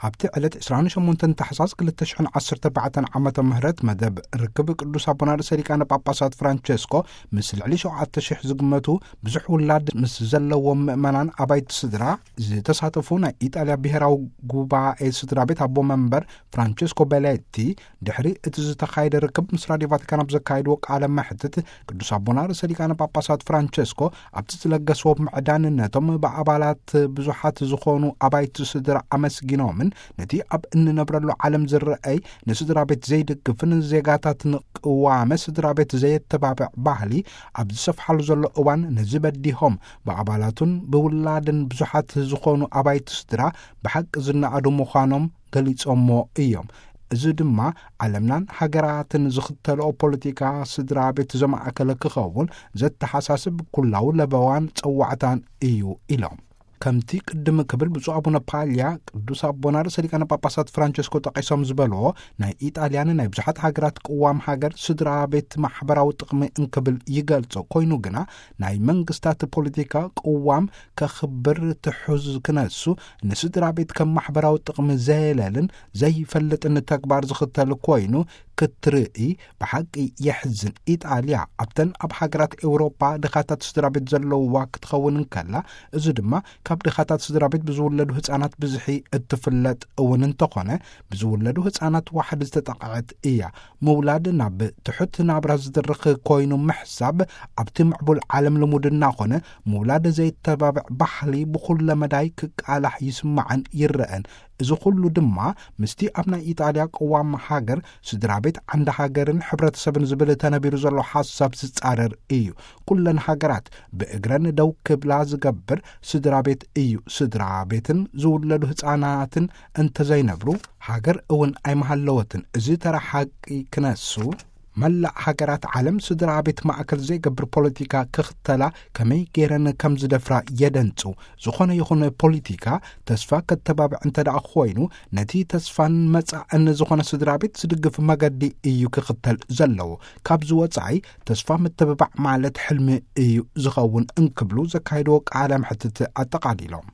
ኣብቲ ዕለት ዕስራን ሸሞንተን ታሕሳስ ክልተ ሽሕን ዓሰርተ ኣርባዕተን ዓመተ ምህረት መደብ ርክብ ቅዱስ ኣቦና ርእሰ ሊቃነ ጳጳሳት ፍራንቸስኮ ምስ ልዕሊ ሸውዓተ ሽሕ ዝግመቱ ብዙሕ ውላድ ምስ ዘለዎም ምእመናን ኣባይቲ ስድራ ዝተሳተፉ ናይ ኢጣልያ ብሔራዊ ጉባኤ ስድራ ቤት ኣቦ መንበር ፍራንቸስኮ ቤሌቲ ድሕሪ እቲ ዝተኻየደ ርክብ ምስ ራድዮ ቫቲካን ኣብ ዘካየድዎ ቃለ መሕትት ቅዱስ ኣቦና ርእሰ ሊቃነ ጳጳሳት ፍራንቸስኮ ኣብቲ ዝለገስዎ ምዕዳንነቶም ብኣባላት ብዙሓት ዝኾኑ ኣባይቲ ስድራ ኣመስጊኖምን ነቲ ኣብ እንነብረሉ ዓለም ዝረኣይ ንስድራ ቤት ዘይድግፍን ዜጋታት ንቅዋመ ስድራ ቤት ዘየተባብዕ ባህሊ ኣብ ዝሰፍሓሉ ዘሎ እዋን ነዚ በዲሆም ብኣባላቱን ብውላድን ብዙሓት ዝኾኑ ኣባይቲ ስድራ ብሓቂ ዝነኣዱ ምዃኖም ገሊጾሞ እዮም። እዚ ድማ ዓለምናን ሃገራትን ዝኽተልኦ ፖለቲካ ስድራ ቤት ዘማእከለ ክኸውን ዘተሓሳስብ ኩላዊ ለበዋን ጸዋዕታን እዩ ኢሎም። ከምቲ ቅድም ክብል ብፁዕ ኣቡነ ፓልያ ቅዱስ ኣቦና ርእሰ ሊቃነ ጳጳሳት ፍራንቸስኮ ጠቒሶም ዝበልዎ ናይ ኢጣልያን ናይ ብዙሓት ሃገራት ቅዋም ሃገር ስድራ ቤት ማሕበራዊ ጥቕሚ እንክብል ይገልጾ ኮይኑ ግና ናይ መንግስታት ፖለቲካ ቅዋም ከኽብር ትሑዝ ክነሱ ንስድራ ቤት ከም ማሕበራዊ ጥቕሚ ዘየለልን ዘይፈልጥን ተግባር ዝኽተል ኮይኑ ክትርኢ ብሓቂ የሕዝን። ኢጣልያ ኣብተን ኣብ ሃገራት ኤውሮጳ ድኻታት ስድራ ቤት ዘለውዋ ክትኸውን እንከላ እዚ ድማ ካብ ድኻታት ስድራ ቤት ብዝውለዱ ህፃናት ብዝሒ እትፍለጥ እውን እንተኾነ ብዝውለዱ ህፃናት ዋሕድ ዝተጠቕዐት እያ። ምውላድ ናብ ትሑት ናብራ ዝድርኽ ኮይኑ ምሕሳብ ኣብቲ ምዕቡል ዓለም ልሙድ እናኾነ ምውላድ ዘይተባብዕ ባህሊ ብኹለ መዳይ ክቃላሕ ይስማዕን ይረአን። እዚ ኩሉ ድማ ምስቲ ኣብ ናይ ኢጣልያ ቅዋም ሃገር ስድራ ቤት ዓንዲ ሃገርን ሕብረተሰብን ዝብል ተነቢሩ ዘሎ ሓሳብ ዝጻረር እዩ። ኩለን ሃገራት ብእግረን ደው ክብላ ዝገብር ስድራ ቤት እዩ። ስድራ ቤትን ዝውለዱ ህፃናትን እንተዘይነብሩ ሃገር እውን ኣይመሃለወትን። እዚ ተራ ሓቂ ክነሱ መላእ ሃገራት ዓለም ስድራ ቤት ማእከል ዘይገብር ፖለቲካ ክኽተላ ከመይ ገይረን ከም ዝደፍራ የደንጹ። ዝኾነ ይኹን ፖለቲካ ተስፋ ከተባብዕ እንተ ደኣ ኮይኑ ነቲ ተስፋን መጻእን ዝኾነ ስድራ ቤት ዝድግፍ መገዲ እዩ ክኽተል ዘለዎ። ካብዚ ወጻኢ ተስፋ ምትብባዕ ማለት ሕልሚ እዩ ዝኸውን እንክብሉ ዘካየድዎ ቃለ መሕትት ኣጠቓሊሎም።